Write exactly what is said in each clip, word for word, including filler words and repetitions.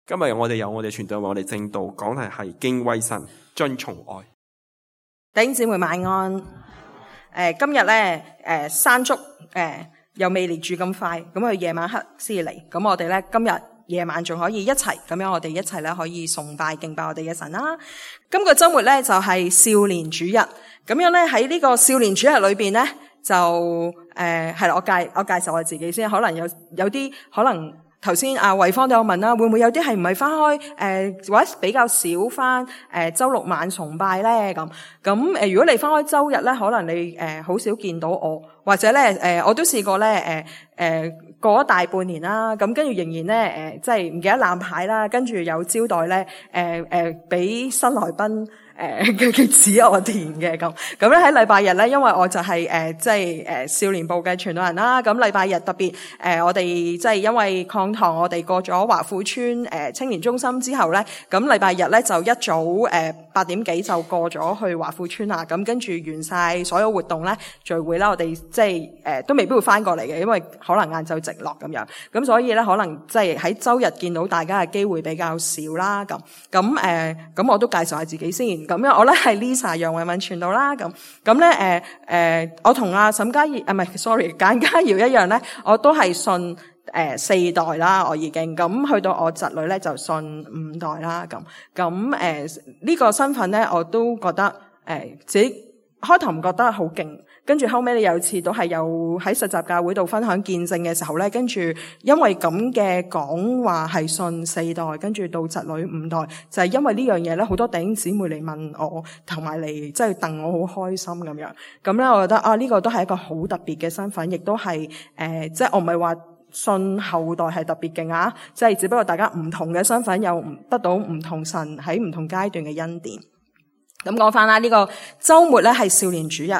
今日我哋有我哋傳道，我哋正道講題係敬畏神，遵從愛。弟兄姊妹晚安。誒，今日咧，誒山竹誒又未嚟住咁快，咁佢夜晚黑先嚟。咁我哋咧今日夜晚仲可以一齊，咁樣我哋一齊咧可以崇拜敬拜我哋嘅神啦。今個週末咧就係少年主日，咁樣咧喺呢個少年主日裏邊咧就誒係啦，我介我介紹我自己先，可能有有啲可能。頭先阿慧芳都有問啦，會唔會有啲係唔係翻開誒、呃、或者比較少翻誒、呃、週六晚崇拜咧？咁咁誒，如果你翻開週日咧，可能你誒好、呃、少見到我，或者咧誒、呃、我都試過咧誒誒過咗大半年啦，咁跟住仍然咧誒即係唔記得攬牌啦，跟住有招待咧誒誒俾新來賓。誒嘅嘅紙我填嘅咁，咁咧喺禮拜日咧，因為我就係誒即係誒少年部嘅傳道人啦，咁禮拜日特別誒、呃、我哋即係因為抗堂，我哋過咗華富村誒、呃、青年中心之後咧，咁禮拜日咧就一早誒八、呃、點幾就過咗去華富村啦，咁跟住完晒所有活動咧聚會啦，我哋即係誒都未必會翻過嚟嘅，因為可能晏晝直落咁樣，咁所以咧可能即係喺周日見到大家嘅機會比較少啦，咁咁誒咁我都介紹下自己先。咁樣我咧係 Lisa 楊慧敏傳道啦，咁咁咧誒誒，我同阿沈嘉怡啊唔係 sorry 簡嘉瑤一樣咧，我都係信誒、呃、四代啦，我已經咁去到我侄女咧就信五代啦，咁咁誒呢個身份咧我都覺得誒、呃、自己開頭唔覺得好勁。跟住後尾，你有次都係有喺實習教會度分享見證嘅時候咧，跟住因為咁嘅講話係信四代，跟住到侄女五代，就係因為呢樣嘢咧，好多弟兄姊妹嚟問我，同埋嚟即係戥我好開心咁樣。咁咧，我覺得啊，呢個都係一個好特別嘅身份，亦都係誒，即係我唔係話信後代係特別勁啊，即係只不過大家唔同嘅身份有得到唔同神喺唔同階段嘅恩典。咁講翻啦，呢個週末咧係少年主日。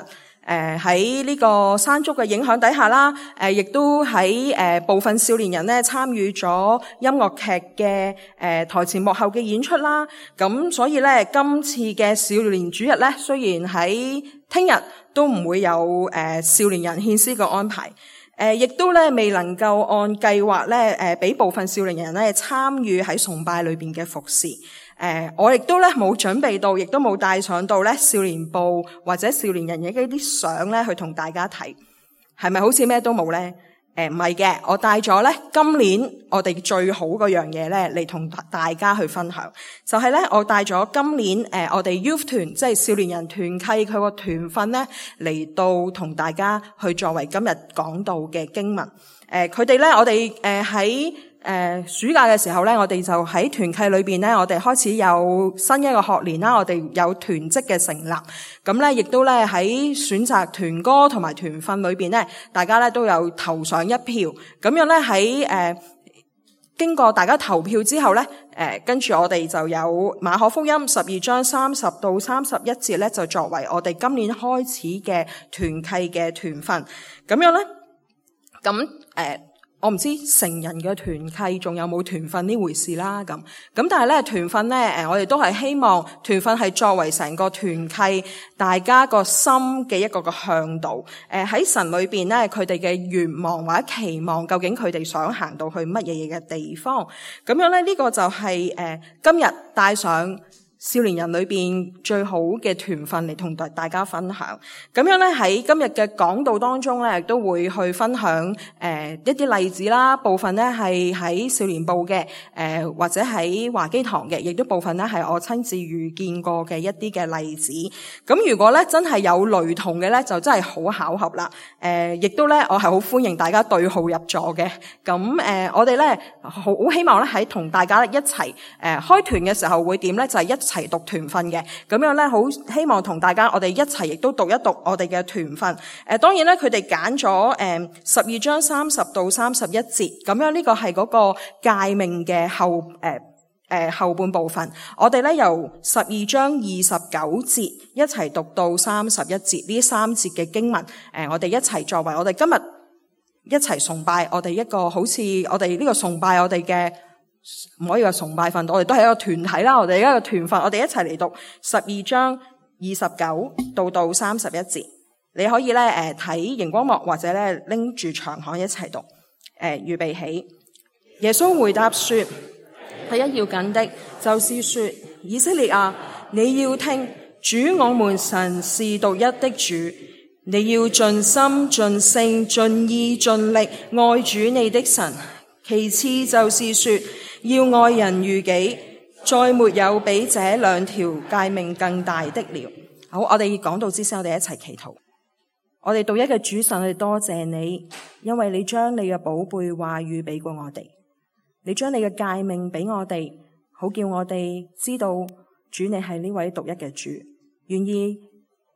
誒喺呢個山竹嘅影響底下啦，誒、呃、亦都喺誒、呃、部分少年人咧參與咗音樂劇嘅誒、呃、台前幕後嘅演出啦。咁所以咧，今次嘅少年主日咧，雖然喺聽日都唔會有誒、呃、少年人獻詩嘅安排，誒、呃、亦都咧未能夠按計劃咧誒俾部分少年人咧參與喺崇拜裏邊嘅服侍。誒、呃，我亦都咧冇準備到，亦都冇帶上到咧少年部或者少年人嘅一啲相咧去同大家睇，係咪好似咩都冇咧？誒，唔係嘅，我帶咗咧今年我哋最好嗰樣嘢咧嚟同大家去分享，就係、是、咧我帶咗今年誒、呃、我哋 Youth 團即係少年人團契佢個團訓咧嚟到同大家去作為今日講道嘅經文。誒，佢哋咧我哋誒喺。呃誒、呃，暑假嘅時候咧，我哋就喺團契裏邊咧，我哋開始有新一個學年啦，我哋有團職嘅成立，咁咧亦都咧喺選擇團歌同埋團訓裏邊咧，大家咧都有投上一票，咁樣咧喺誒經過大家投票之後咧，誒、呃、跟住我哋就有馬可福音十二章三十到三十一節咧，就作為我哋今年開始嘅團契嘅團訓，咁樣咧，咁誒。呃我唔知成人嘅團契仲有冇團訓呢回事啦，咁咁但係咧團訓咧，誒我哋都係希望團訓係作為成個團契大家個心嘅一個個向導，誒喺神裏邊咧佢哋嘅願望或者期望，究竟佢哋想行到去乜嘢嘢嘅地方，咁樣咧呢、這個就係、是、誒、呃、今日帶上少年人裏邊最好嘅團訓嚟同大大家分享，咁樣咧喺今日嘅講道當中咧，亦都會去分享誒、呃、一啲例子啦。部分咧係喺少年部嘅，誒、呃、或者喺華基堂嘅，亦都部分咧係我親自遇見過嘅一啲嘅例子。咁如果咧真係有雷同嘅咧，就真係好巧合啦。誒、呃，亦都咧我係好歡迎大家對號入座嘅。咁誒、呃，我哋咧好希望咧喺同大家一齊誒、呃、開團嘅時候會點咧，就係、是、一齊讀團訓嘅，咁樣咧好希望同大家我哋一齊亦都讀一讀我哋嘅團訓。誒、呃，當然咧佢哋揀咗誒十二章三十到三十一節，咁樣呢個係嗰個誡命嘅後誒誒、呃呃、後半部分。我哋咧由十二章二十九節一齊讀到三十一節，呢三節嘅經文，誒、呃、我哋一齊作為我哋今日一齊崇拜我哋一個好似我哋呢個崇拜我哋嘅。唔可以話崇拜訓，我哋都係一個團體啦。我哋一個團訓，我哋一齊嚟讀十二章二十九到到三十一節。你可以咧誒睇熒光幕，或者咧拎住長項一齊讀。誒、呃，預備起。耶穌回答說：第一要緊的，就是說，以色列啊，你要聽，主我們神是獨一的主，你要盡心、盡性、盡意、盡力愛主你的神。其次就是說，要愛人如己，再沒有比這兩條誡命更大的了。好，我哋講到之先，我哋一齊祈禱。我哋獨一嘅主神，我哋多謝你，因為你將你嘅寶貝話語俾過我哋。你將你嘅誡命俾我哋，好叫我哋知道主你係呢位獨一嘅主。願意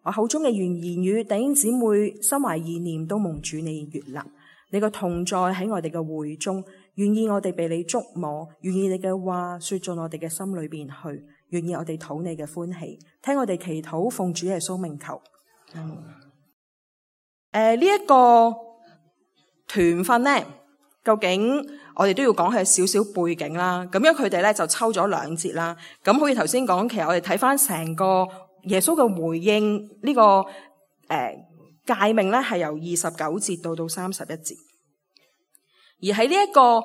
我口中嘅言言語，弟兄姊妹心懷意念都蒙主你悅納。你個同在喺我哋嘅會中，願意我哋被你觸摸，願意你嘅話說進我哋嘅心裏邊去，願意我哋討你嘅歡喜，聽我哋祈禱，奉主耶穌名求。嗯，誒呢一個團訓呢，究竟我哋都要講係少少背景啦。咁樣佢哋咧就抽咗兩節啦。咁好似頭先講，其實我哋睇翻成個耶穌嘅回應呢、這個誒誡命咧，係由二十九節到到三十一節。而喺呢一個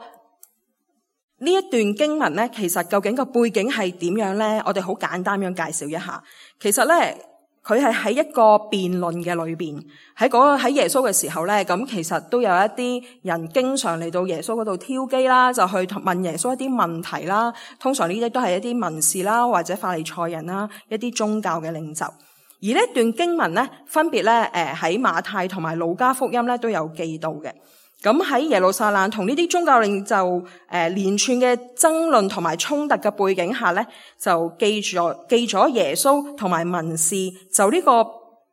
呢一段經文咧，其實究竟個背景係點樣咧？我哋好簡單咁介紹一下。其實咧，佢係喺一個辯論嘅裏邊，喺嗰個喺耶穌嘅時候咧，咁其實都有一啲人經常嚟到耶穌嗰度挑機啦，就去問耶穌一啲問題啦。通常呢啲都係一啲文士啦，或者法利賽人啦，一啲宗教嘅領袖。而呢段經文咧，分別咧，誒喺馬太同埋路加福音咧都有記到嘅。咁喺耶路撒冷同呢啲宗教領袖誒連串嘅爭論同埋衝突嘅背景下咧，就記咗記咗耶穌同埋文士就呢個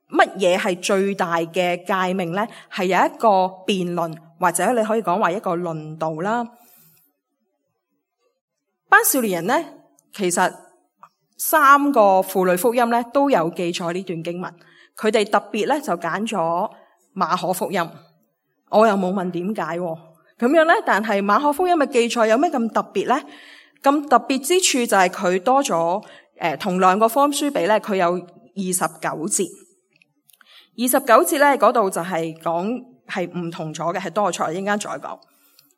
乜嘢係最大嘅誡命咧，係有一個辯論，或者你可以講話一個論道啦。班少年人咧，其實三個符類福音咧都有記載呢段經文，佢哋特別咧就揀咗馬可福音。我又冇問點解咁樣咧，但係馬可福音嘅記載有咩咁特別咧？咁特別之處就係佢多咗誒，同兩個福音書比咧，佢有二十九節。二十九節咧嗰度就係講係唔同咗嘅，係多咗，一陣間再講。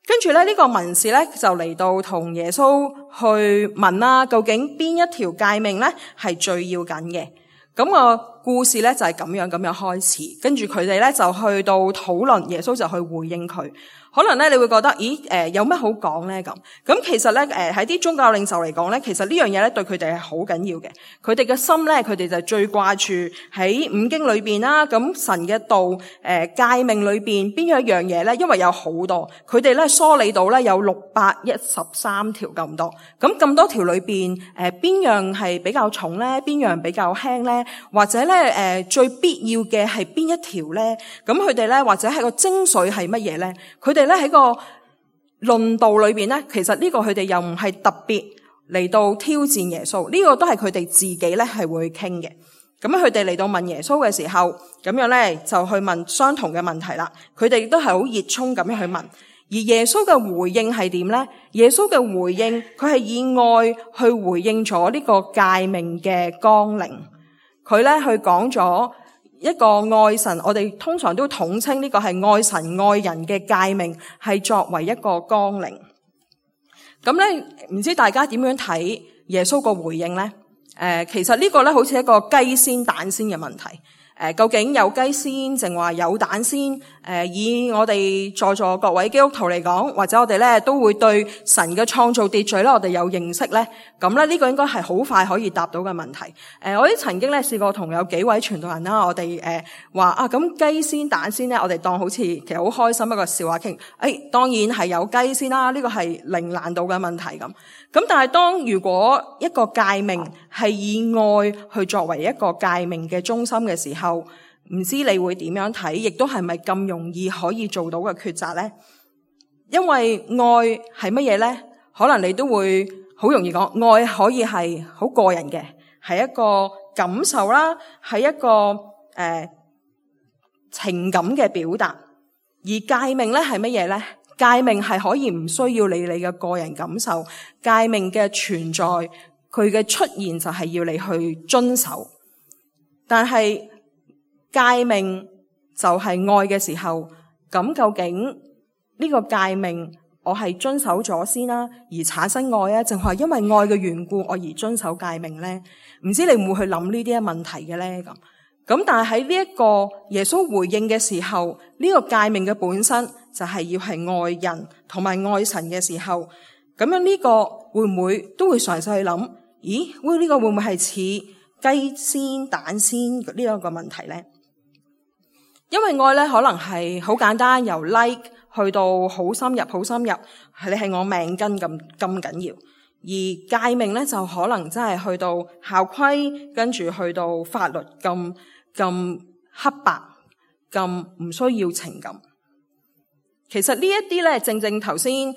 跟住咧呢個文士咧就嚟到同耶穌去問啦，究竟邊一條誡命咧係最要緊嘅？咁個故事咧就係咁樣咁樣開始，跟住佢哋咧就去到討論，耶穌就去回應佢。可能咧你會覺得，咦誒、呃、有咩好講咧咁？咁其實咧誒喺啲宗教領袖嚟講咧，其實呢樣嘢咧對佢哋係好緊要嘅。佢哋嘅心咧，佢哋就最掛住喺五經裏邊啦。咁神嘅道誒誡命裏邊邊一樣嘢咧？因為有好多，佢哋咧梳理到咧有六百一十三條咁多。咁咁多條裏邊誒邊樣係比較重咧？邊樣比較輕咧？或者咧誒、呃、最必要嘅係邊一條咧？咁佢哋咧或者係個精髓係乜嘢咧？佢哋咧喺個論道裏邊咧，其實呢個佢哋又唔係特別嚟到挑戰耶穌，呢個都係佢哋自己咧係會傾嘅。咁佢哋嚟到問耶穌嘅時候，咁樣咧就去問相同嘅問題啦。佢哋亦都係好熱衷咁樣去問，而耶穌嘅回應係點咧？耶穌嘅回應，佢係以愛去回應咗呢個誡命嘅綱領。佢咧去講咗一個愛神，我哋通常都統稱呢個係愛神愛人嘅誡命，係作為一個綱領。咁咧，唔知大家點樣睇耶穌個回應咧？誒、呃，其實呢個咧好似一個雞先蛋先嘅問題。誒、呃，究竟有雞先定話有蛋先？誒、呃，以我哋在座各位基督徒嚟講，或者我哋咧都會對神嘅創造秩序咧，我哋有認識咧。咁咧呢個應該係好快可以答到嘅問題。誒、呃，我哋曾經咧試過同有幾位傳道人啦，我哋誒話啊，咁雞先蛋先咧，我哋當好似其實好開心一個笑話傾。誒、哎，當然係有雞先啦，呢、這個係零難度嘅問題咁。咁但係當如果一個誡命係以愛去作為一個誡命嘅中心嘅時候，唔知你會點樣睇，亦都係咪咁容易可以做到嘅抉擇咧？因為愛係乜嘢咧？可能你都會好容易講，愛可以係好個人嘅，係一個感受啦，係一個誒、呃、情感嘅表達。而誡命咧係乜嘢咧？誡命係可以唔需要理你嘅個人感受，誡命嘅存在，佢嘅出現就係要你去遵守。但係誡命就係愛嘅時候，咁究竟呢個誡命我係遵守咗先啦，而產生愛啊，淨係因為愛嘅緣故，我而遵守誡命咧？唔知你會唔會去諗呢啲嘅問題嘅咧？咁咁，但係喺呢一個耶穌回應嘅時候，呢、這個誡命嘅本身就係要係愛人同埋愛神嘅時候，咁樣呢個會唔會都會嘗試去諗？咦，會、這、呢個會唔會係似雞先蛋先呢一個問題咧？因為愛咧可能係好簡單，由 like 去到好深入好深入，係你係我命根咁咁緊要。而誡命咧就可能真係去到校規，跟住去到法律咁咁黑白，咁唔需要情感。其實呢一啲咧，正正頭先誒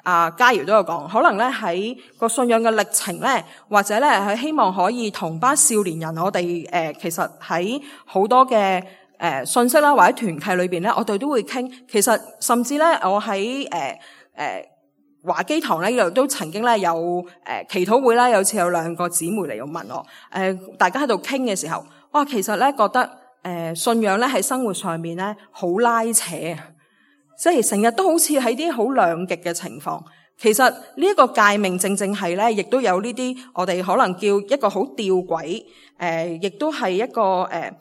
阿嘉瑤都有講，可能咧喺個信仰嘅歷程咧，或者咧係希望可以同班少年人，我哋誒、呃、其實喺好多嘅誒、呃、信息啦，或者團契裏邊咧，我哋都會傾。其實甚至咧，我喺誒誒華基堂咧，又都曾經咧有誒、呃、祈禱會啦，有次有兩個姊妹嚟要問我，誒、呃、大家喺度傾嘅時候，哇，其實咧覺得誒、呃、信仰咧喺生活上面咧好拉扯。即係成日都好似喺啲好兩極嘅情況，其實呢一個誡命正正係咧，亦都有呢啲我哋可能叫一個好吊詭，誒、呃，亦都係一個誒、呃，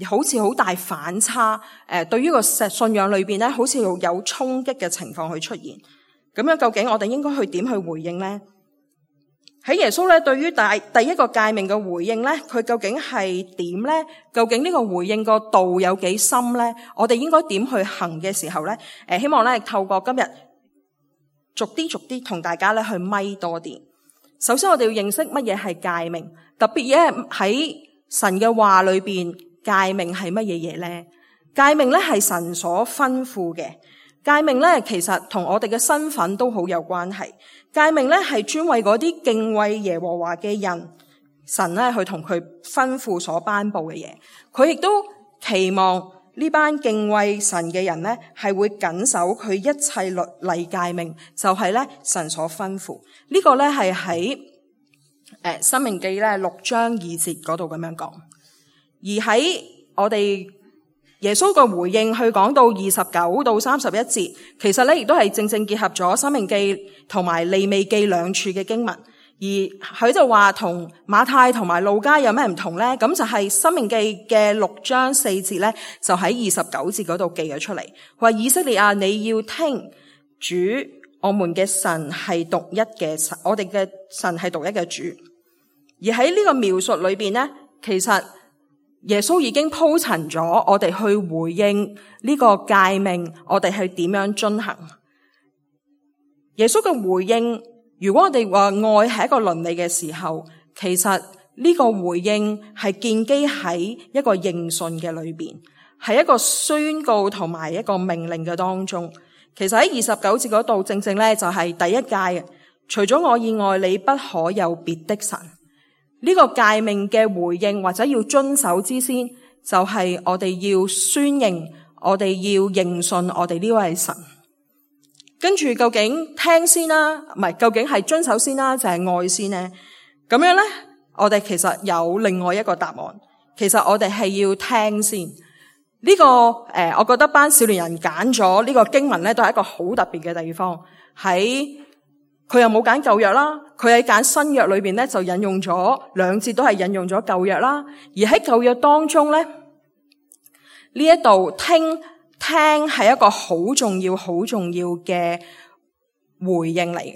好似好大反差，誒、呃，對於個信仰裏邊咧，好似有衝擊嘅情況去出現。咁樣究竟我哋應該去點去回應咧？喺耶穌咧對於第第一個誡命嘅回應咧，佢究竟係點咧？究竟呢個回應個道有幾深咧？我哋應該點去行嘅時候咧？誒，希望咧透過今日逐啲逐啲同大家咧去咪多啲。首先我哋要認識乜嘢係誡命，特別嘢喺神嘅話裏邊，誡命係乜嘢嘢咧？誡命咧係神所吩咐嘅。誡命咧，其實同我哋嘅身份都好有關係。誡命咧係專為嗰啲敬畏耶和華嘅人，神咧去同佢吩咐所頒布嘅嘢。佢亦都期望呢班敬畏神嘅人咧係會謹守佢一切律例誡命，就係咧神所吩咐。呢個咧係喺誒申命記咧六章二節嗰度咁樣講。而喺我哋耶穌個回應去講到二十九到三十一節，其實咧亦都係正正結合咗申命記同埋利未記兩處嘅經文，而佢就話同馬太同埋路加有咩唔同咧？咁就係申命記嘅六章四節咧，就喺二十九節嗰度記咗出嚟，話以色列啊，你要聽主我們嘅神係獨一嘅神，我哋嘅神係獨一嘅主。而喺呢個描述裏邊咧，其實耶穌已經鋪陳咗我哋去回應呢個誡命，我哋係點樣遵行。耶穌嘅回應，如果我哋話愛係一個倫理嘅時候，其實呢個回應係建基喺一個認信嘅裏邊，係一個宣告同埋一個命令嘅當中。其實喺二十九節嗰度，正正咧就係第一誡，除咗我以外，你不可有別的神。呢個誡命嘅回應或者要遵守之先，就係我哋要宣認，我哋要認信我哋呢位神。跟住究竟聽先啦，唔係究竟係遵守先啦，就係愛先呢？咁樣咧，我哋其實有另外一個答案。其實我哋係要聽先。呢個誒，我覺得班少年人揀咗呢個經文咧，都係一個好特別嘅地方。喺佢又冇揀舊約啦，佢喺揀新約裏邊咧就引用咗兩節，都係引用咗舊約啦。而喺舊約當中咧，呢一度聽聽係一個好重要、好重要嘅回應嚟嘅。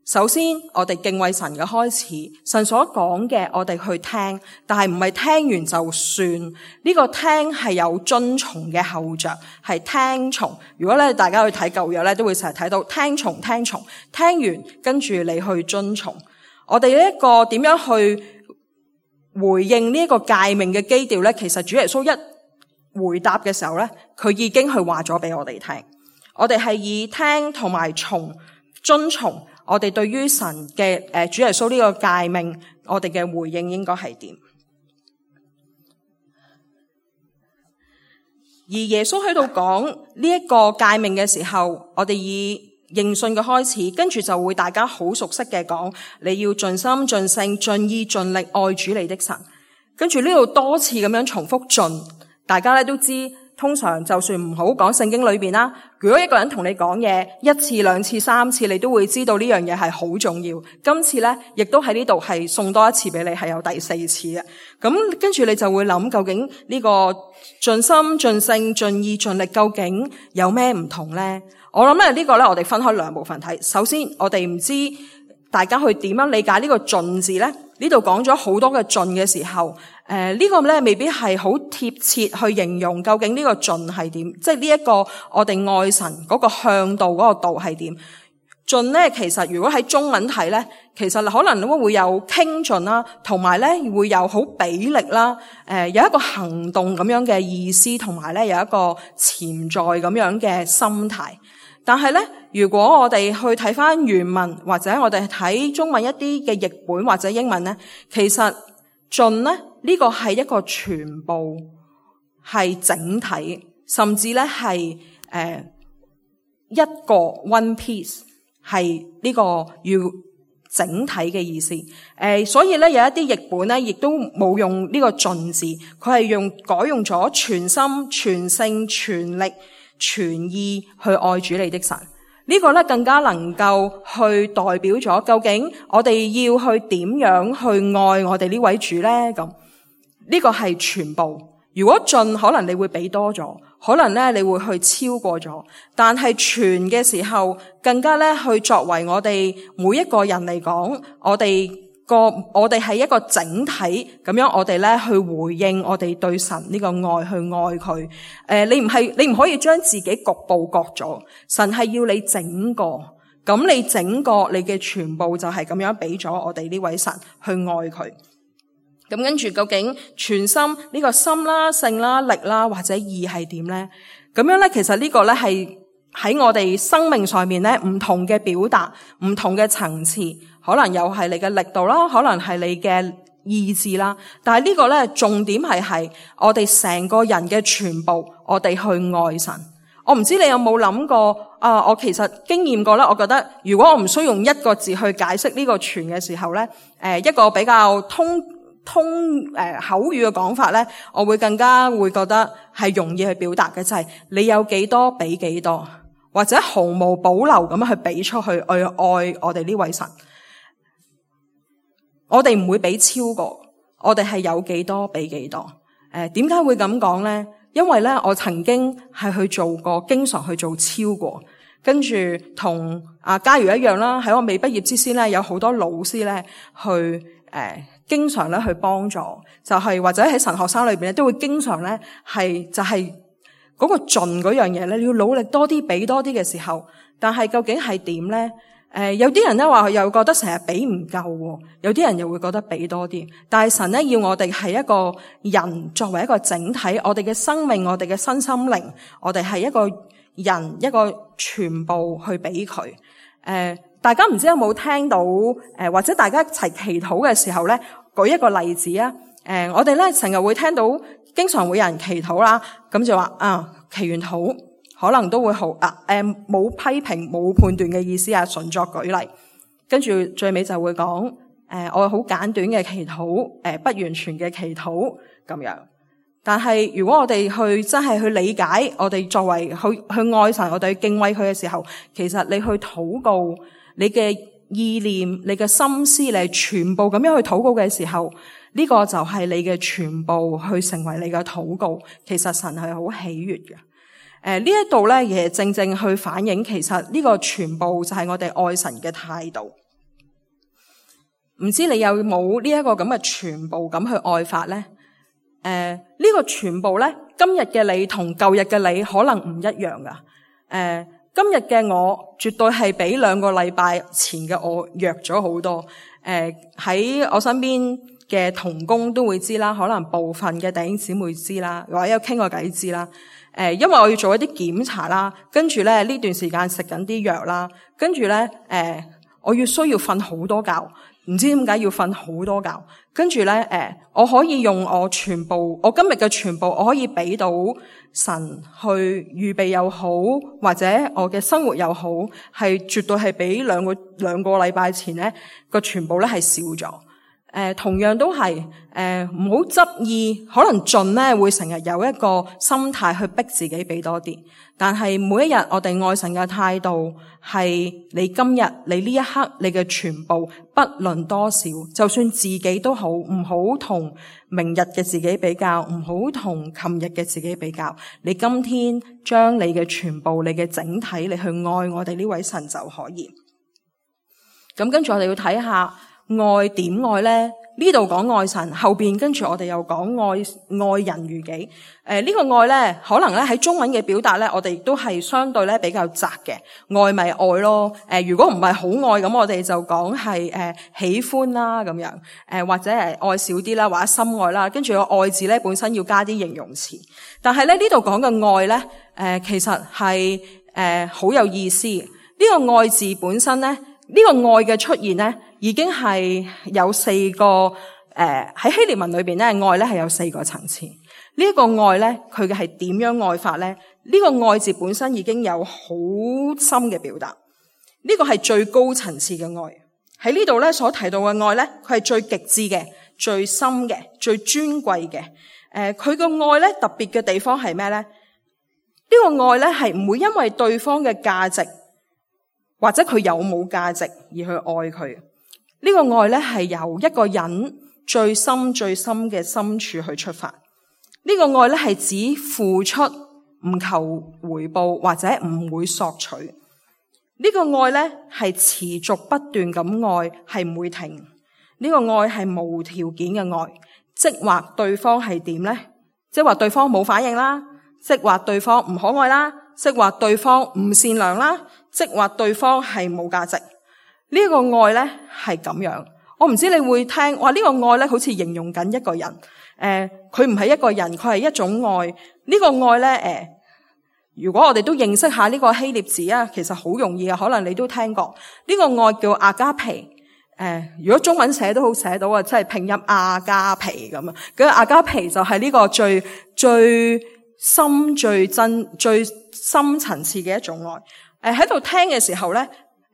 首先，我哋敬畏神嘅開始，神所講嘅我哋去聽，但係唔係聽完就算。呢個聽係有遵從嘅後着，係聽從。如果咧大家去睇舊約咧，都會成日睇到聽從、聽從，聽完跟住你去遵從。我哋呢一個點樣去回應呢一個誡命嘅基調咧？其實主耶穌一回答嘅時候咧，佢已經去話咗俾我哋聽。我哋係以聽同埋從遵從。我哋對於神嘅誒主耶穌呢個誡命，我哋嘅回應應該係點？而耶穌喺度講呢一個誡命嘅時候，我哋以認信嘅開始，跟住就會大家好熟悉嘅講，你要盡心盡性盡意盡力愛主你的神。跟住呢度多次咁樣重複盡，大家咧都知通常就算唔好講聖經裏邊啦，如果一個人同你講嘢一次、兩次、三次，你都會知道呢樣嘢係好重要。今次咧，亦都喺呢度係送多一次俾你，係有第四次嘅。咁跟住你就會諗，究竟呢個盡心、盡性、盡意、盡力，究竟有咩唔同咧？我諗咧呢個咧，我哋分開兩部分睇。首先，我哋唔知大家去點樣理解呢個盡字咧？呢度講咗好多嘅盡嘅時候，誒、呃這個、呢個咧未必係好貼切去形容究竟呢個盡係點，即係呢一個我哋愛神嗰個向度嗰個度係點。盡咧其實如果喺中文睇咧，其實可能都會有傾盡啦，同埋咧會有好俾力啦，誒、呃、有一個行動咁樣嘅意思，同埋咧有一個潛在咁樣嘅心態。但係咧，如果我哋去睇翻原文，或者我哋睇中文一啲嘅譯本或者英文咧，其實盡咧呢個係一個全部，係整體，甚至咧係誒一個 one piece， 係呢個要整體嘅意思。誒、呃，所以咧有一啲譯本咧，亦都冇用呢個盡字，佢係用改用咗全心、全性、全力、全意去愛主你的神。呢個咧更加能夠去代表咗究竟我哋要去點樣去愛我哋呢位主咧？咁呢個係全部。如果盡，可能你會俾多咗，可能咧你會去超過咗，但係全嘅時候，更加咧去作為我哋每一個人嚟講，我哋個我哋係一個整體咁樣，我哋咧去回應我哋對神呢個愛，去愛佢。誒、呃，你唔係你唔可以將自己局部割咗，神係要你整個，咁你整個你嘅全部就係咁樣俾咗我哋呢位神去愛佢。咁跟住究竟全心呢、這個心啦、性啦、力啦或者意係點咧？咁樣咧，其實呢個咧係喺我哋生命上面咧唔同嘅表達，唔同嘅層次，可能又係你嘅力度啦，可能係你嘅意志啦。但係呢個咧重點係係我哋成個人嘅全部，我哋去愛神。我唔知你有冇諗過啊？我其實經驗過咧，我覺得如果我唔需要用一個字去解釋呢個全嘅時候咧，誒、呃、一個比較通。通誒、呃、口語嘅講法咧，我會更加會覺得係容易去表達嘅，就係、是、你有幾多俾幾多，或者毫無保留咁樣去俾出去去愛我哋呢位神。我哋唔會俾超過，我哋係有幾多俾幾多。誒，點解會咁講咧？因為咧，我曾經係去做過，經常去做超過，跟住同阿嘉如一樣啦。喺我未畢業之前咧，有好多老師咧去誒。呃經常咧去幫助，就係、是、或者喺神學生裏邊咧，都會經常咧係就係嗰個盡嗰樣嘢咧，你要努力多啲，俾多啲嘅時候，但係究竟係點咧？誒、呃，有啲人咧話又覺得成日俾唔夠，有啲人又會覺得俾多啲。但係神咧要我哋係一個人作為一個整體，我哋嘅生命，我哋嘅身心靈，我哋係一個人一個全部去俾佢。誒、呃，大家唔知有冇聽到？誒、呃，或者大家一齊祈禱嘅時候咧？舉一個例子啊，誒、呃，我哋咧成日會聽到，經常會有人祈禱啦，咁就話啊，祈完禱可能都會好啊，誒、呃，冇批評冇判斷嘅意思啊，純作舉例，跟住最尾就會講，誒、呃，我好簡短嘅祈禱，誒、呃，不完全嘅祈禱咁樣。但係如果我哋去真係去理解，我哋作為去去愛神，我哋去敬畏佢嘅時候，其實你去禱告，你嘅意念、你嘅心思，你全部咁樣去禱告嘅時候，呢個就係你嘅全部去成為你嘅禱告。其實神係好喜悅嘅。誒、呃，呢一度咧，亦正正去反映，其實呢個全部就係我哋愛神嘅態度。唔知你有冇呢一個咁嘅全部咁去愛法咧？誒、呃，呢、這個全部咧，今日嘅你同舊日嘅你可能唔一樣噶。誒、呃。今日嘅我絕對係比兩個禮拜前嘅我弱咗好多。誒、呃，喺我身邊嘅同工都會知啦，可能部分嘅弟兄姊妹知啦，或者有傾過偈知啦。誒、呃，因為我要做一啲檢查啦，跟住咧呢段時間食緊啲藥啦，跟住咧誒，我要需要瞓好多覺，唔知點解要瞓好多覺。跟住咧誒，我可以用我全部，我今日嘅全部，我可以俾到神去預備又好，或者我嘅生活又好，係絕對係比兩個兩個禮拜前咧個全部咧係少咗。誒、誒，同樣都係誒，唔好執意，可能盡咧會成日有一個心態去逼自己俾多啲。但係每一日我哋愛神嘅態度係，你今日你呢一刻你嘅全部，不論多少，就算自己都好，唔好同明日嘅自己比較，唔好同琴日嘅自己比較。你今天將你嘅全部，你嘅整體，你去愛我哋呢位神就可以。咁跟住我哋要睇下。愛點愛呢？呢度講愛神，後邊跟住我哋又講愛愛人如己。誒、呃，呢、這個愛呢，可能咧喺中文嘅表達咧，我哋亦都係相對咧比較窄嘅。愛咪愛咯。誒、呃，如果唔係好愛咁，我哋就講係誒喜歡啦咁樣。誒、呃，或者係愛少啲啦，或者深愛啦。跟住個愛字咧本身要加啲形容詞。但係咧呢度講嘅愛咧，誒、呃，其實係誒好有意思。呢、這個愛字本身咧。呢個愛嘅出現咧，已經係有四個誒喺、呃、希臘文裏邊咧，愛咧係有四個層次。呢、這、一個愛咧，佢嘅係點樣愛法咧？呢、這個愛字本身已經有好深嘅表達。呢、這個係最高層次嘅愛。喺呢度咧所提到嘅愛咧，佢係最極致嘅、最深嘅、最尊貴嘅。誒、呃，佢個愛咧特別嘅地方係咩咧？呢、這個愛咧係唔會因為對方嘅價值。或者佢有冇價值而去愛佢。呢個愛咧係由一個人最深最深嘅深處去出發。呢個愛咧係指付出唔求回報或者唔會索取。呢個愛咧係持續不斷咁愛，係唔會停。呢個愛係無條件嘅愛，即話對方係點咧？即話對方冇反應啦，即話對方唔可愛啦，即話對方唔善良啦。即話對方係冇價值，呢、這個愛咧係咁樣。我唔知你會聽，哇！呢、這個愛咧好似形容緊一個人，誒、呃，佢唔係一個人，佢係一種愛。呢、這個愛咧，誒、呃，如果我哋都認識下呢個希臘字啊，其實好容易啊，可能你都聽過。呢、這個愛叫阿加皮，誒、呃，如果中文寫都好寫到啊，即係拼音阿加皮咁啊。咁阿加皮就係呢個最最深、最真、最深層次嘅一種愛。誒，喺度聽嘅時候咧，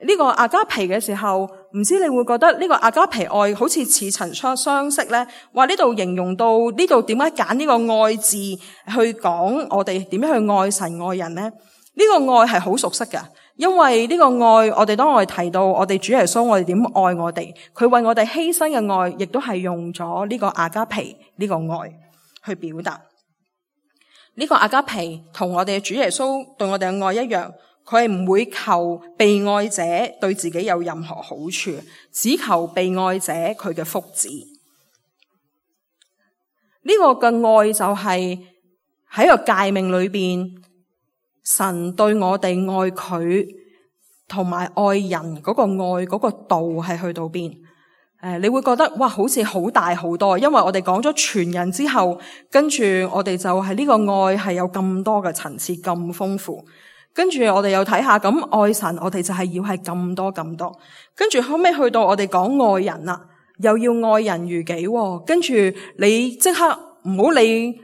呢個阿加皮嘅時候，唔知你會覺得呢個阿加皮愛好似似曾相相識咧？話呢度形容到呢度點解揀呢個愛字去講我哋點樣去愛神愛人咧？呢個愛係好熟悉㗎，因為呢個愛我哋當我哋提到我哋主耶穌，我哋點愛我哋，佢為我哋犧牲嘅愛，亦都係用咗呢個阿加皮呢個愛去表達。呢個阿加皮同我哋嘅主耶穌對我哋嘅愛一樣。佢係唔會求被愛者對自己有任何好處，只求被愛者佢嘅福祉。呢、這個嘅愛就係喺個誡命裏邊，神對我哋愛佢同埋愛人嗰個愛嗰個度係去到邊？誒，你會覺得哇，好似好大好多，因為我哋講咗全人之後，跟住我哋就係呢個愛係有咁多嘅層次，咁豐富。跟住我哋又睇下，咁愛神我哋就係要係咁多咁多，跟住後尾去到我哋講愛人啦，又要愛人如己，跟住你即刻唔好理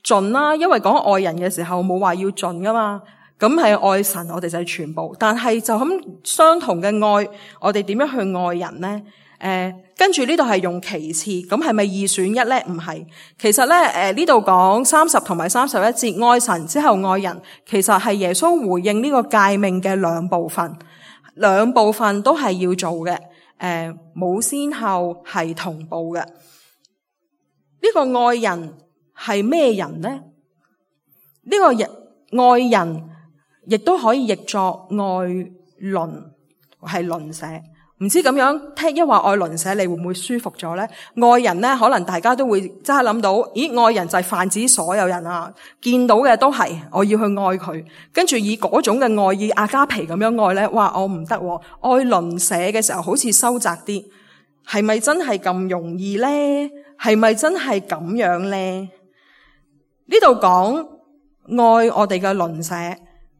盡啦，因為講愛人嘅時候冇話要盡噶嘛，咁係愛神我哋就係全部，但係就咁相同嘅愛，我哋點樣去愛人呢？誒、呃，跟住呢度係用其次，咁係咪二選一咧？唔係，其實咧，誒呢度講三十同埋三十一節愛神之後愛人，其實係耶穌回應呢個誡命嘅兩部分，兩部分都係要做嘅，誒、呃、冇先後係同步嘅。呢、這個愛人係咩人呢？呢、這個人愛人亦都可以譯作愛鄰，係鄰舍。唔知咁樣聽一話愛鄰舍，你會唔會舒服咗咧？愛人咧，可能大家都會即刻諗到，咦，愛人就係泛指所有人啊，見到嘅都係我要去愛佢，跟住以嗰種嘅愛意阿加皮咁樣愛咧，哇，我唔得，愛鄰舍嘅時候好似收窄啲，係咪真係咁容易咧？係咪真係咁樣咧？呢度講愛我哋嘅鄰舍。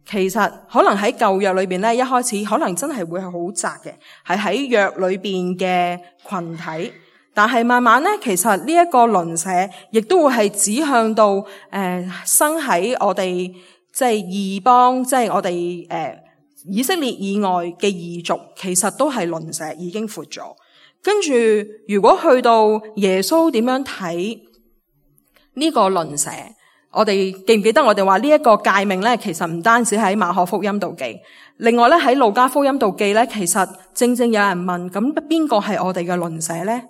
其實可能喺舊約裏邊咧，一開始可能真係會係好窄嘅，係喺約裏邊嘅群體。但係慢慢咧，其實呢一個鄰舍亦都會係指向到誒、呃、生喺我哋即係異邦，即係我哋誒、呃、以色列以外嘅異族，其實都係鄰舍已經闊咗。跟住如果去到耶穌點樣睇呢個鄰舍，我哋記唔記得我哋話呢一個誡命咧，其實唔單止喺馬可福音度記，另外咧喺路加福音度記咧，其實正正有人問，咁邊個係我哋嘅鄰舍咧？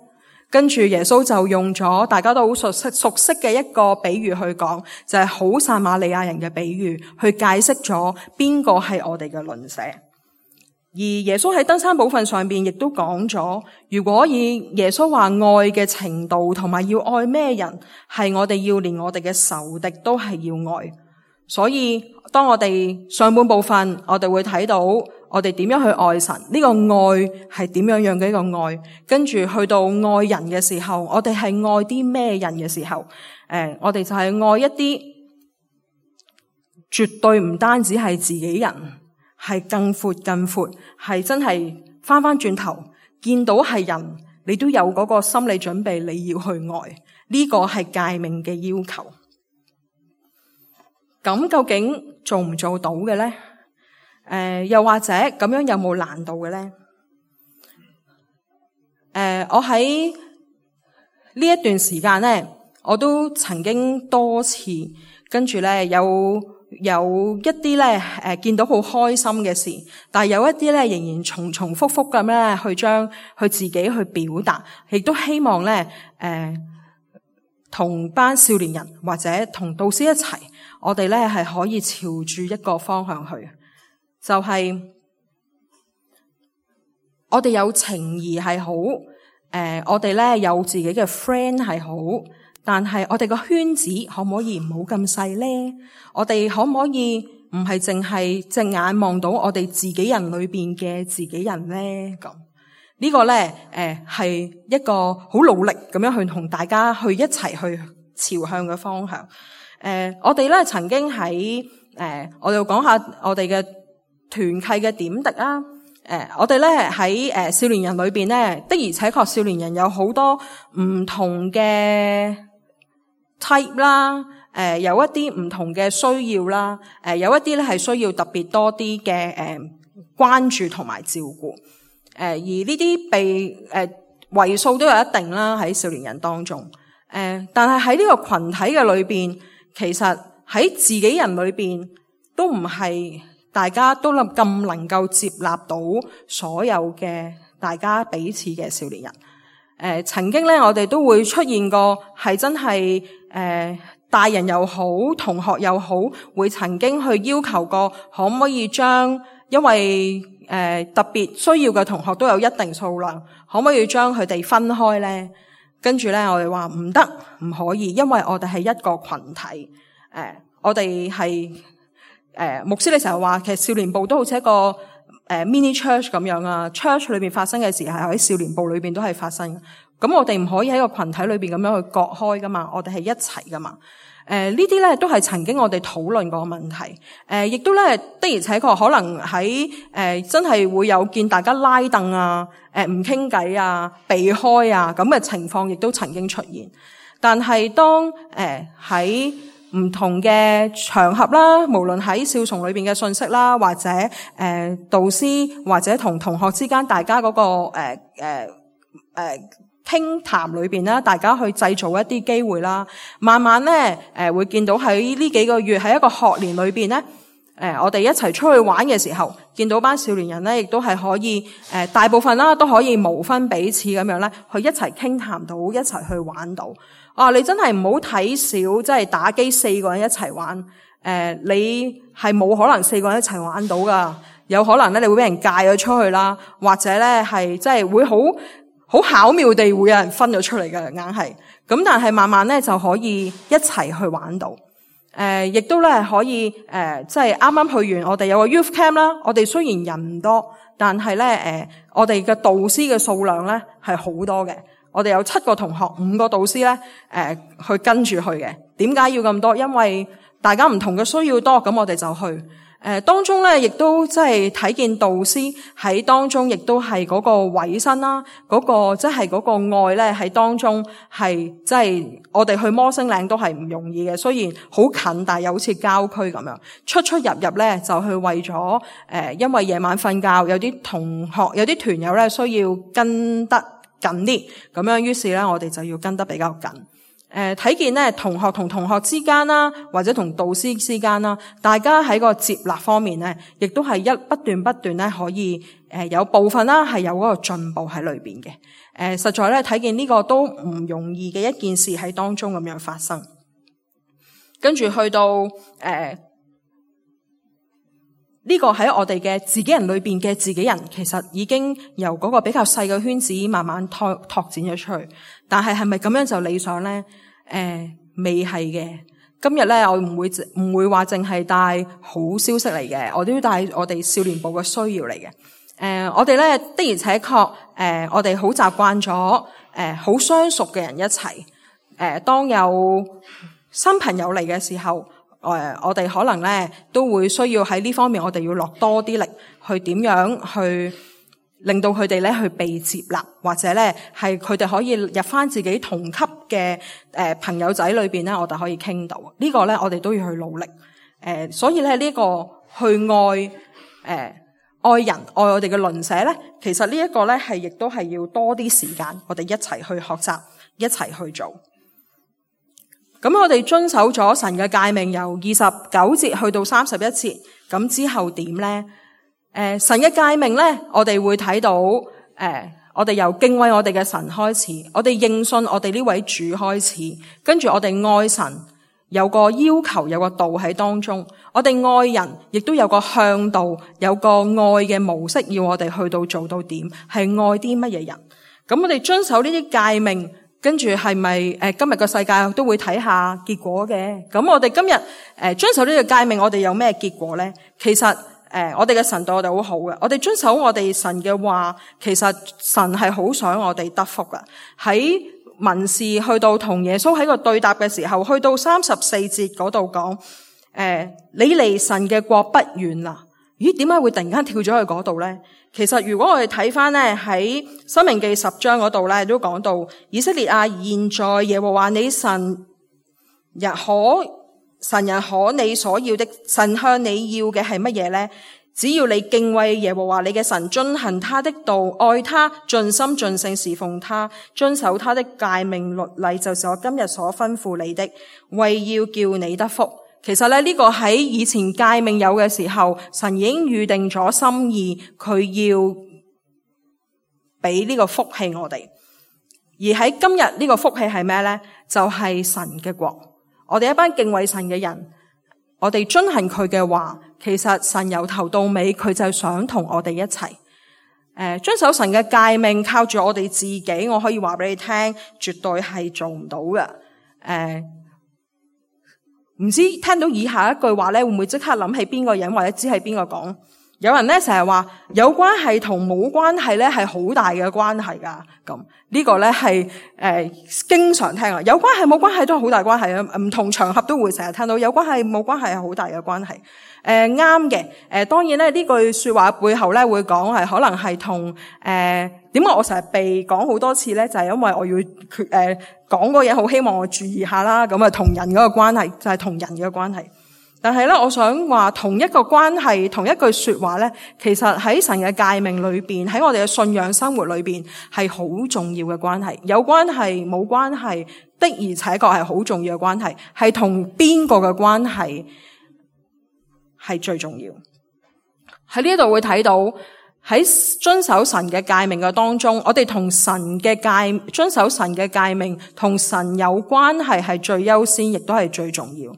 跟住耶穌就用咗大家都好熟悉熟悉嘅一個比喻去講，就係好撒瑪利亞人嘅比喻，去解釋咗邊個係我哋嘅鄰舍。而耶穌喺登山寶訓上邊亦都講咗，如果以耶穌話愛嘅程度同埋要愛咩人，係我哋要連我哋嘅仇敵都係要愛。所以當我哋上半部分，我哋會睇到我哋點樣去愛神，呢個愛係點樣樣嘅一個愛。跟住去到愛人嘅時候，我哋係愛啲咩人嘅時候，誒，我哋就係愛一啲絕對唔單止係自己人，係更闊更闊，係真係翻翻轉頭見到係人，你都有嗰個心理準備，你要去愛。呢個係誡命嘅要求。咁究竟做唔做到嘅咧？誒、呃，又或者咁樣有冇難度嘅咧？誒、呃，我喺呢一段時間咧，我都曾經多次跟住咧有有一啲咧誒見到好開心嘅事，但係有一啲咧仍然重重複複咁咧去將去自己去表達，亦都希望咧誒同班少年人或者同導師一齊。我哋咧係可以朝住一個方向去，就係、是、我哋有情誼係好，誒、呃，我哋咧有自己嘅 friend 係好，但係我哋個圈子可唔可以唔好咁細咧？我哋可唔可以唔係淨係隻眼望到我哋自己人裏邊嘅自己人咧？咁、這個、呢個咧，誒、呃，係一個好努力咁樣去同大家去一齊去朝向嘅方向。誒、呃，我哋咧曾經喺誒、呃，我哋講下我哋嘅團契嘅點滴啦。誒、呃，我哋咧喺誒少年人裏邊咧，的而且確少年人有好多唔同嘅 type 啦。誒、呃，有一啲唔同嘅需要啦。誒、呃，有一啲咧係需要特別多啲嘅誒關注同埋照顧。誒、呃，而呢啲被誒、呃、為數都有一定啦，喺少年人當中。誒、呃，但係喺呢個群體嘅裏邊。其實喺自己人裏邊都唔係大家都咁能夠接納到所有嘅大家彼此嘅少年人。誒、呃，曾經咧我哋都會出現過係真係誒大人又好，同學又好，會曾經去要求過可唔可以將因為誒、呃、特別需要嘅同學都有一定數量，可唔可以將佢哋分開咧？跟住咧，我哋話唔得，唔可以，因為我哋係一個群體。誒、呃，我哋係誒牧師，你成日話其實少年部都好似一個誒、呃、mini church 咁樣啊。church 裏邊發生嘅事係喺少年部裏邊都係發生。咁我哋唔可以喺個群體裏邊咁樣去割開噶嘛，我哋係一齊噶嘛。誒、呃，呢啲咧都係曾經我哋討論過嘅問題。誒、呃，亦都咧的而且確可能喺誒、呃、真係會有見大家拉凳啊。誒，唔傾偈啊，避開啊，咁嘅情況亦都曾經出現。但係當誒喺唔同嘅場合啦，無論喺少崇裏邊嘅信息啦，或者誒、呃、導師或者同同學之間大家嗰、那個誒誒誒傾談裏邊啦，大家去製造一啲機會啦，慢慢咧誒、呃、會見到喺呢幾個月喺一個學年裏邊咧。誒、呃，我哋一齊出去玩嘅時候，見到班少年人咧，亦都係可以誒、呃，大部分啦都可以無分彼此咁樣咧，去一齊傾談到，一齊去玩到。啊，你真係唔好睇少，即係打機四個人一齊玩。誒、呃，你係冇可能四個人一齊玩到噶，有可能咧你會俾人戒咗出去啦，或者咧係即係會好好巧妙地會有人分咗出嚟嘅，硬係。咁但係慢慢咧就可以一齊去玩到。誒、呃，亦都咧可以誒，即係啱啱去完，我哋有個 youth camp 啦。我哋雖然人唔多，但係咧誒，我哋嘅導師嘅數量咧係好多嘅。我哋有七個同學，五個導師咧誒、呃，去跟住去嘅。點解要咁多？因為大家唔同嘅需要多，咁我哋就去。誒、呃，當中咧亦都即係睇見導師喺當中，亦都係嗰個委身啦，嗰、那個即係嗰個愛咧喺當中係即係我哋去摩星嶺都係唔容易嘅，雖然好近，但係又好似郊區咁樣出出入入咧，就去為咗誒、呃，因為夜晚瞓覺，有啲同學有啲團友咧需要跟得緊啲，咁樣於是咧我哋就要跟得比較緊。誒睇見咧同學同同學之間啦，或者同導師之間啦，大家喺個接納方面咧，亦都係一不斷不斷咧可以誒有部分啦係有嗰個進步喺裏邊嘅。誒實在咧睇見呢個都唔容易嘅一件事喺當中咁樣發生。跟住去到誒。呃呢個喺我哋嘅自己人裏邊嘅自己人，其實已經由嗰個比較細嘅圈子慢慢拓拓展咗出去。但係係咪咁樣就理想咧？誒、呃，未係嘅。今日咧，我唔會唔會話淨係帶好消息嚟嘅，我都要帶我哋少年部嘅需要嚟嘅。誒、呃，我哋咧的而且確，誒、呃，我哋好習慣咗，誒，好相熟嘅人一齊。誒、呃，當有新朋友嚟嘅時候。誒，我哋可能咧都會需要喺呢方面，我哋要落多啲力，去點樣去令到佢哋咧去被接納，或者咧係佢哋可以入翻自己同級嘅誒朋友仔裏邊咧，我哋可以傾到。呢個咧我哋都要去努力。誒，所以咧呢個去愛誒愛人愛我哋嘅鄰舍咧，其實呢一個咧係亦都係要多啲時間，我哋一齊去學習，一齊去做。咁我哋遵守咗神嘅誡命，由二十九節去到三十一節，咁之後點咧？誒、呃，神嘅誡命咧，我哋會睇到，誒、呃，我哋由敬畏我哋嘅神開始，我哋認信我哋呢位主開始，跟住我哋愛神，有個要求，有個道喺當中，我哋愛人，亦都有個向導，有個愛嘅模式，要我哋去到做到點，係愛啲乜嘢人？咁我哋遵守呢啲誡命。跟住係咪誒今日個世界都會睇下結果嘅？咁我哋今日誒、呃、遵守呢個誡命，我哋有咩結果咧？其實誒、呃、我哋嘅神對我哋好好嘅，我哋遵守我哋神嘅話，其實神係好想我哋得福噶。喺文士去到同耶穌喺個對答嘅時候，去到三十四節嗰度講誒，你離神嘅國不遠啦。咦？點解會突然間跳咗去嗰度咧？其實如果我哋睇翻咧喺申命記十章嗰度咧，都講到以色列啊，現在耶和華你神日可神人可你所要的，神向你要嘅係乜嘢咧？只要你敬畏耶和華你嘅神，遵行他的道，愛他，盡心盡性侍奉他，遵守他的誡命律例，就是我今日所吩咐你的，為要叫你得福。其實咧呢個喺以前誡命有嘅時候，神已經預定咗心意，佢要俾呢個福氣我哋。而喺今日呢個福氣係咩咧？就係神嘅國。我哋一班敬畏神嘅人，我哋遵行佢嘅話，其實神由頭到尾佢就想同我哋一齊。誒，遵守神嘅誡命，靠住我哋自己，我可以話俾你聽，絕對係做唔到嘅。誒。唔知聽到以下一句話咧，會唔會即刻諗起邊個人，或者知係邊個講？有人咧成日話有關係同冇關係咧係好大嘅關係噶，咁呢個咧係誒經常聽啊。有關係冇關係都係好大關係啊，唔同場合都會成日聽到有關係冇關係係好大嘅關係。誒啱嘅，誒、呃、當然咧呢句說話背後咧會講係可能係同誒點解我成日被講好多次咧，就係、是、因為我要誒、呃、講嗰嘢好希望我注意下啦，咁啊同人嗰個關係就係、是、同人嘅關係。但係咧，我想話同一個關係，同一句說話咧，其實喺神嘅誡命裏邊，喺我哋嘅信仰生活裏邊係好重要嘅關係。有關係冇關係的，而且確係好重要嘅關係，係同邊個嘅關係係最重要。喺呢度會睇到喺遵守神嘅誡命嘅當中，我哋同神嘅誡遵守神嘅誡命同神有關係係最優先，亦都係最重要。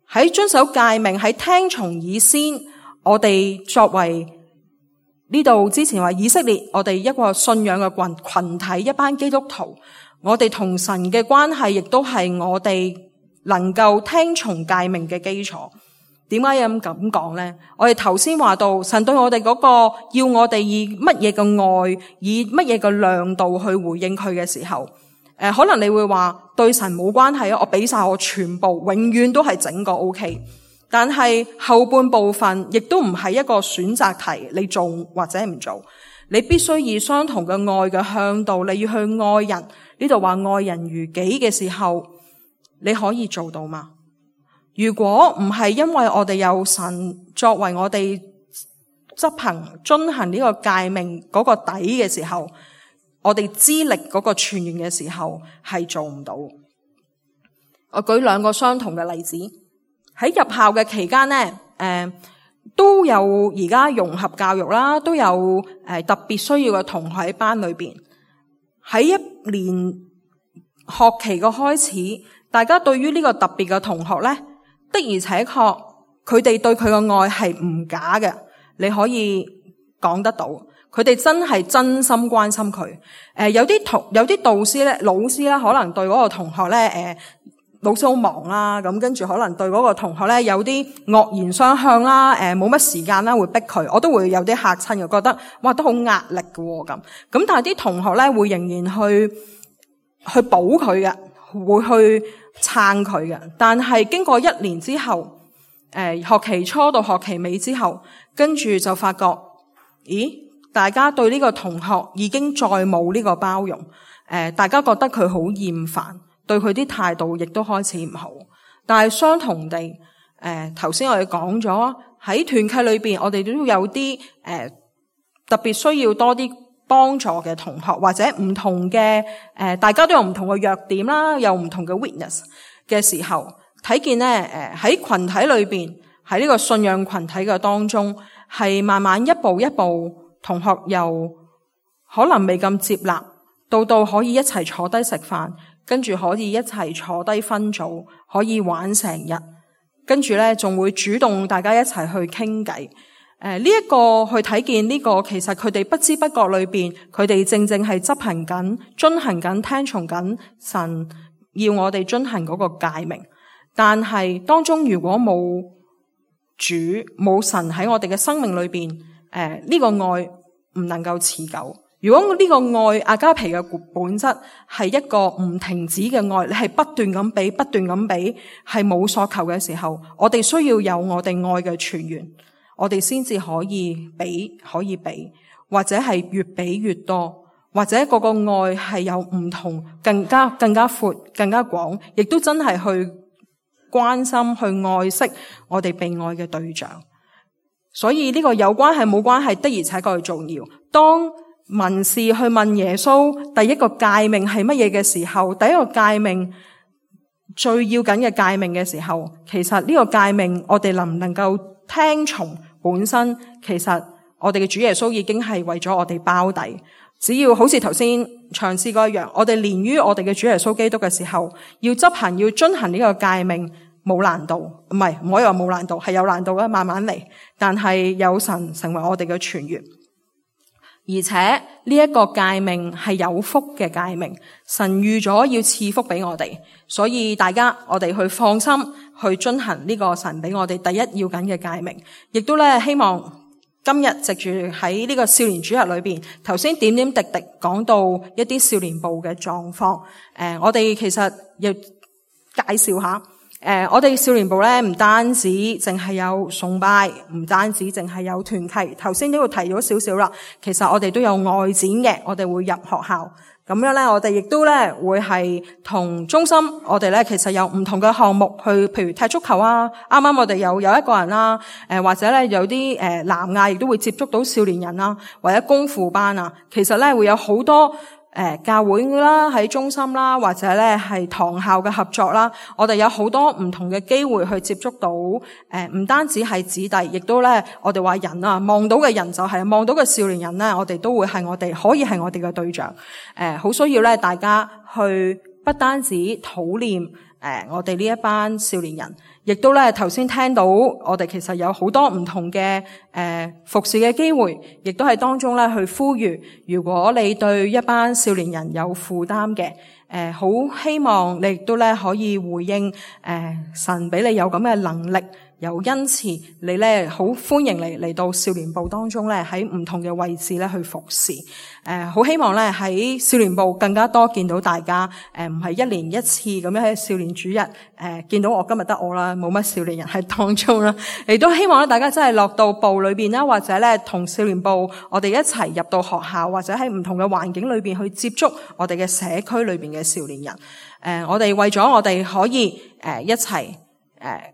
喺遵守誡命，喺聽從以先，我哋作為呢度之前話以色列，我哋一個信仰嘅群群體，一班基督徒，我哋同神嘅關係，亦都係我哋能夠聽從誡命嘅基礎。點解要咁講咧？我哋頭先話到神對我哋嗰個要我哋以乜嘢嘅愛，以乜嘢嘅量度去回應佢嘅時候。誒、呃，可能你會話對神冇關係啊，我俾晒我全部，永遠都係整個 OK。但係後半部分亦都唔係一個選擇題，你做或者唔做，你必須以相同嘅愛嘅向度，你要去愛人。呢度話愛人如己嘅時候，你可以做到嗎？如果唔係因為我哋有神作為我哋執行遵行呢個誡命嗰個底嘅時候，我哋資歷嗰個傳員嘅時候係做唔到。我舉兩個相同嘅例子，喺入校嘅期間咧，誒、呃、都有而家融合教育啦，都有誒、呃、特別需要嘅同學喺班裏邊。喺一年學期嘅開始，大家對於呢個特別嘅同學咧，的而且確佢哋對佢嘅愛係唔假嘅，你可以講得到。佢哋真係真心關心佢。誒、呃，有啲同有啲導師咧、老師咧，可能對嗰個同學咧，誒、呃，老師好忙啦，咁跟住可能對嗰個同學咧有啲惡言相向啦，誒、呃，冇乜時間啦，會逼佢，我都會有啲嚇親嘅，覺得哇，都好壓力嘅咁。咁但係啲同學咧會仍然去去保佢嘅，會去撐佢嘅。但係經過一年之後，誒、呃，學期初到學期尾之後，跟住就發覺，咦？大家對呢個同學已經再冇呢個包容，誒、呃，大家覺得佢好厭煩，對佢啲態度亦都開始唔好。但係相同地，誒，頭先我哋講咗喺團契裏邊，我哋都有啲誒、呃、特別需要多啲幫助嘅同學，或者唔同嘅誒、呃，大家都有唔同嘅弱點啦，有唔同嘅 weakness 嘅時候，睇見咧，誒喺群體裏邊，喺呢個信仰群體嘅當中，係慢慢一步一步。同學由可能未咁接納，到到可以一齊坐低食飯，跟住可以一齊坐低分組，可以玩成日，跟住咧仲會主動大家一齊去傾偈。誒、呃，呢、這、一個去睇見呢個，其實佢哋不知不覺裏邊，佢哋正正係執行緊、遵行緊、聽從緊神要我哋遵行嗰個誡命。但係當中如果冇主、冇神喺我哋嘅生命裏邊，誒、呃，呢、這個愛唔能夠持久。如果呢個愛阿加皮嘅本質係一個唔停止嘅愛，你係不斷咁俾、不斷咁俾，係冇所求嘅時候，我哋需要有我哋愛嘅泉源，我哋先至可以俾、可以俾，或者係越俾越多，或者嗰個愛係有唔同、更加更加闊、更加廣，亦都真係去關心、去愛惜我哋被愛嘅對象。所以呢個有關係冇關係的而且確係重要。當文士去問耶穌第一個誡命係乜嘢嘅時候，第一個誡命最要緊嘅誡命嘅時候，其實呢個誡命我哋能唔能夠聽從本身，其實我哋嘅主耶穌已經係為咗我哋包底。只要好似頭先唱詩歌一樣，我哋連於我哋嘅主耶穌基督嘅時候，要執行要遵行呢個誡命。冇難度，唔係唔可以話冇難度，係有難度嘅，慢慢嚟。但係有神成為我哋嘅泉源，而且呢一個誡命係有福嘅誡命，神預咗要賜福俾我哋，所以大家我哋去放心去遵行呢個神俾我哋第一要緊嘅誡命，亦都咧希望今日藉住喺呢個少年主日裏邊，頭先點點滴滴講到一啲少年部嘅狀況，誒、呃，我哋其實要介紹下。誒、呃，我哋少年部咧唔單止淨係有崇拜，唔單止淨係有團契。頭先都會提咗少少啦。其實我哋都有外展嘅，我哋會入學校。咁樣咧，我哋亦都咧會係同中心，我哋咧其實有唔同嘅項目去，譬如踢足球啊。啱啱我哋有有一個人啦，誒、呃、或者咧有啲誒、呃、南亞亦都會接觸到少年人啦，或者功夫班啊。其實咧會有好多。誒、呃，教會啦，喺中心啦，或者咧係堂校嘅合作啦，我哋有好多唔同嘅機會去接觸到，誒、呃，唔單止係子弟，亦都咧，我哋話人啊，望到嘅人就係、是、望到嘅少年人咧，我哋都會係我哋可以係我哋嘅對象，誒、呃，好需要咧，大家去不單止討念，誒、呃，我哋呢一班少年人。亦都咧，頭先聽到我哋其實有好多唔同嘅誒、呃、服侍嘅機會，亦都係當中咧去呼籲，如果你對一班少年人有負擔嘅，誒好希望你亦都咧可以回應，誒、呃、神俾你有咁嘅能力。有恩賜，你咧好歡迎你嚟到少年部當中咧，喺唔同嘅位置咧去服侍。誒、呃，好希望咧喺少年部更加多見到大家。誒、呃，唔係一年一次咁樣喺少年主日，誒、呃，見到我今日得我啦，冇乜少年人喺當中啦。亦都希望咧大家真係落到部裏邊啦，或者咧同少年部我哋一齊入到學校，或者喺唔同嘅環境裏邊去接觸我哋嘅社區裏邊嘅少年人。誒、呃，我哋為咗我哋可以誒、呃、一齊誒。呃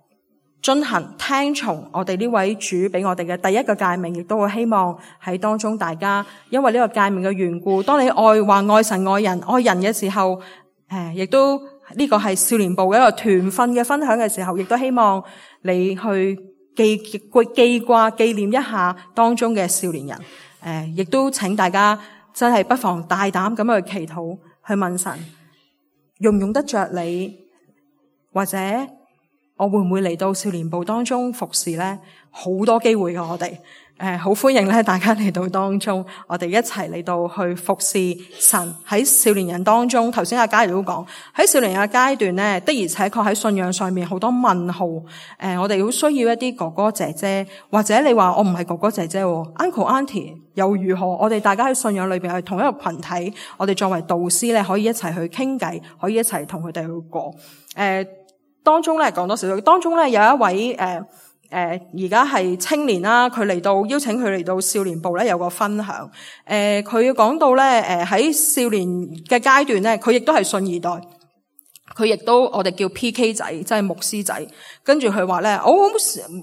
遵行聽從我哋呢位主俾我哋嘅第一個誡命，亦都會希望喺當中大家因為呢個誡命嘅緣故，當你愛話愛神愛人愛人嘅時候，誒亦都呢個係少年部嘅一個團訓嘅分享嘅時候，亦都希望你去記記記掛紀念一下當中嘅少年人。誒亦都請大家真係不妨大膽咁去祈禱，去問神用唔用得着你，或者我會唔會嚟到少年部當中服侍咧？好多機會嘅，我哋誒好歡迎咧，大家嚟到當中，我哋一齊嚟到去服侍神。喺少年人當中，頭先阿嘉怡都講，喺少年人嘅階段咧，的而且確喺信仰上面好多問號。誒、呃，我哋好需要一啲哥哥姐姐，或者你話我唔係哥哥姐姐 ，uncle auntie 又如何？我哋大家喺信仰裏邊係同一個群體，我哋作為導師咧，可以一齊去傾偈，可以一齊同佢哋去過。誒、呃，當中咧講多少少，當中咧有一位誒。呃誒而家係青年啦，佢嚟到邀請佢嚟到少年部咧有個分享。誒、呃、佢講到咧誒喺少年嘅階段咧，佢亦都係信二代，佢亦都我哋叫 P K 仔，即係牧師仔。跟住佢話咧，我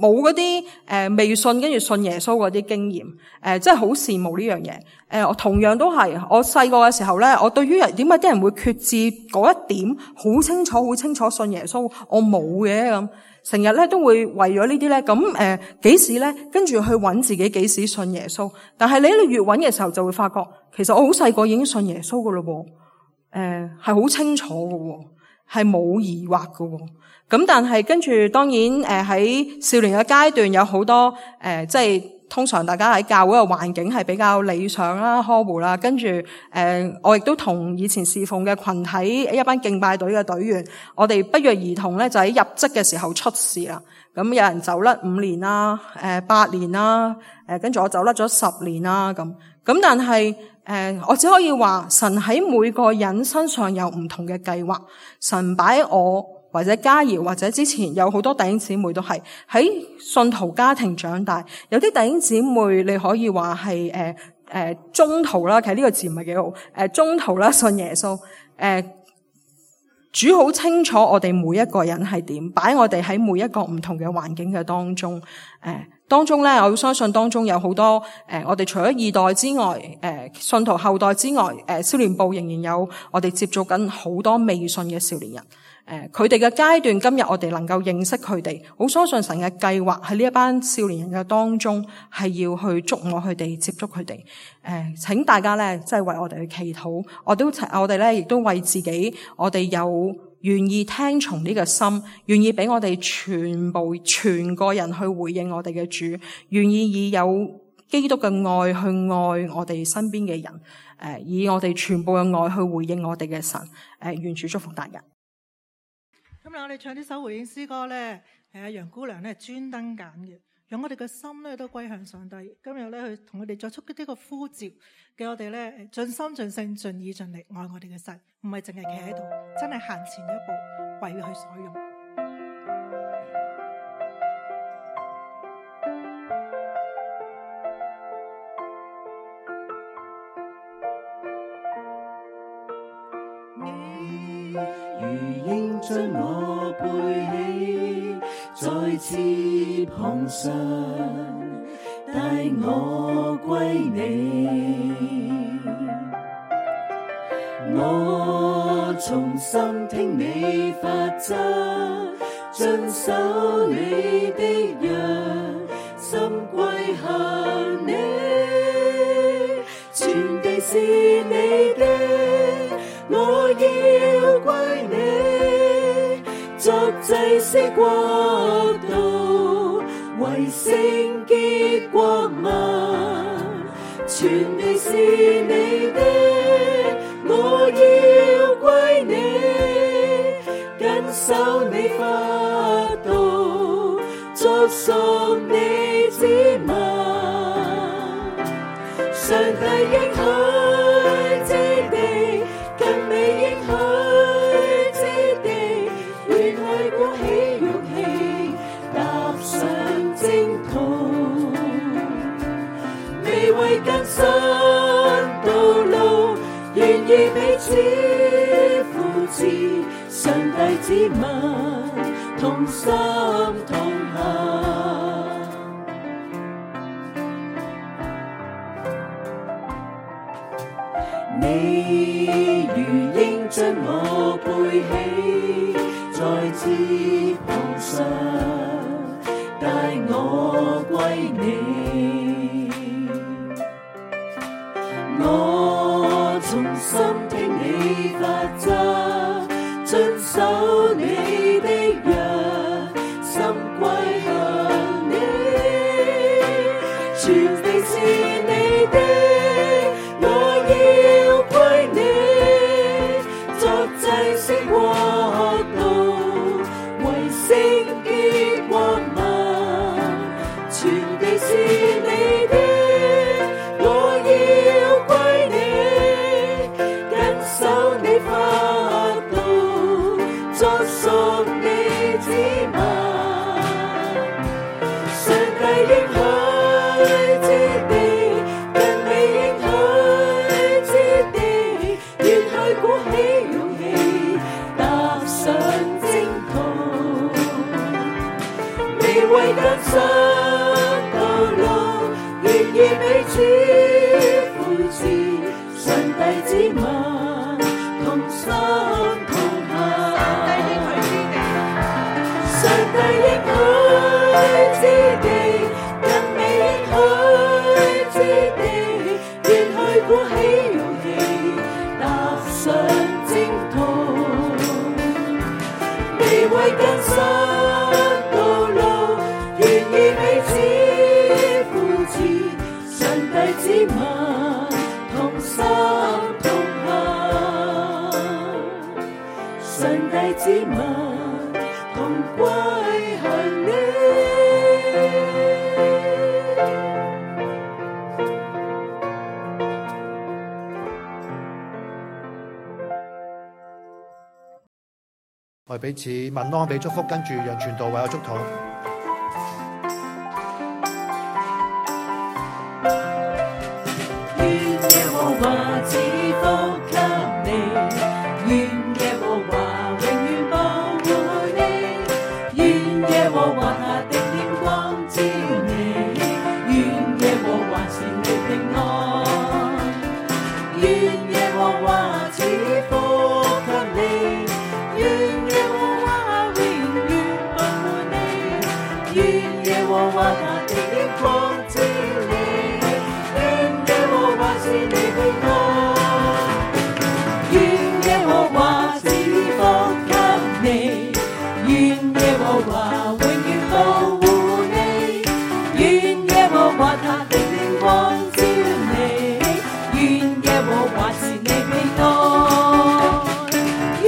冇嗰啲誒未信跟住信耶穌嗰啲經驗，誒真係好羨慕呢樣嘢。誒、呃、我同樣都係，我細個嘅時候咧，我對於點解啲人會決志嗰一點好清楚，好清楚信耶穌，我冇嘅咁。成日咧都會為咗呢啲咧，咁誒幾時咧，跟住去揾自己幾時信耶穌。但係你你越揾嘅時候，就會發覺其實我好細個已經信耶穌噶咯喎，誒係好清楚噶喎，係冇疑惑噶喎。咁但係跟住當然誒喺少年嘅階段有好多誒即係。通常大家喺教會嘅環境係比較理想啦、呵護啦，跟住誒、呃，我亦都同以前侍奉嘅群體一班敬拜隊嘅隊員，我哋不約而同咧就喺入職嘅時候出事啦。咁有人走甩五年啦，誒、呃、八年啦，誒跟住我走甩咗十年啦，咁咁但係誒、呃，我只可以話神喺每個人身上有唔同嘅計劃，神擺我。或者嘉怡，或者之前有好多弟兄姊妹都係喺信徒家庭長大，有啲弟兄姊妹你可以話係誒誒中途啦，其實呢個字唔係幾好，誒、呃、中途啦信耶穌，誒、呃、主好清楚我哋每一個人係點，擺我哋喺每一個唔同嘅環境嘅當中，誒、呃、當中咧，我相信當中有好多誒、呃，我哋除咗二代之外，誒、呃、信徒後代之外，誒、呃、少年部仍然有我哋接觸緊好多未信嘅少年人。誒，佢哋嘅階段，今日我哋能夠認識佢哋，好相信神嘅計劃喺呢一班少年人嘅當中，係要去觸摸佢哋，接觸佢哋。誒、呃，請大家咧，即係為我哋去祈禱，我都我哋咧，亦都為自己，我哋有願意聽從呢個心，願意俾我哋全部全個人去回應我哋嘅主，願意以有基督嘅愛去愛我哋身邊嘅人，誒、呃，以我哋全部嘅愛去回應我哋嘅神。誒、呃，願主祝福大家。今日我哋唱呢首回應詩歌咧，係阿楊姑娘咧專登揀嘅，讓我哋嘅心咧都歸向上帝。今日咧去同我哋作出呢個呼召，叫我哋咧盡心盡性盡意盡力愛我哋嘅神，唔係淨係企喺度，真係行前一步為佢所用。如鷹將我背起，在翅膀上帶我歸你。我從心聽你法則，遵守你的約，心歸向你，全地是你的，我要歸你，作祭司國度，為聖潔國民，全地是你的，我要歸你，謹守你法度，作屬你子民。上帝應許之地，更美應許之地，願愛鼓起勇氣，踏上征途，未為更新道路，願意彼此持，上帝子民同心同行。你如鷹將我背起，在翅膀上帶我歸你。我從心聽你法則，遵守你的約，心歸向你。全地是你的，我要歸你，作祭司國度，為聖潔國民。全地是你的，我要歸你，緊守你法度，作屬你子民。上帝應許之地，更美應許之地，願去鼓起勇氣，踏上征途。未為艱辛道路，願意彼此扶持，上帝子民同心同行。上帝應許之地，更美應許之地，願去鼓起勇氣，踏上征途。未為艱辛道路，願意彼此扶持，上帝子民同心同行。上帝子民同歸向你。我哋彼此問安，俾祝福，跟住讓傳道為我祝禱。願耶和華賜福給你，願耶和華永遠保護你，願耶和華他的臉光照你，願耶和華賜你平安，願耶和華賜福給你，願耶和華永遠保護你，願耶和華他的臉光照你，願耶和華賜你平安，願耶和華賜福給你，願耶和華永遠保護你，願耶和華他的臉光照你，願耶和華賜你平安，願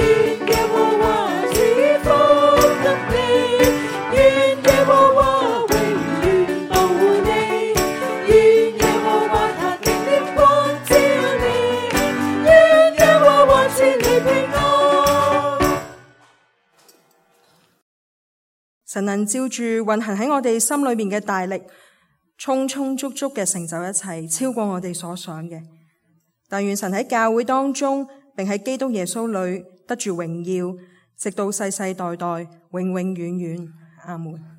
耶和華賜福給你，願耶和華永遠保護你，願耶和華他的臉光照你，願耶和華賜你平安。神能照住運行喺我哋心裏面嘅大力，充充足足嘅成就一切，超過我哋所想嘅。但願神喺教會當中，並喺基督耶穌裏得住榮耀，直到世世代代，永永遠遠。阿門。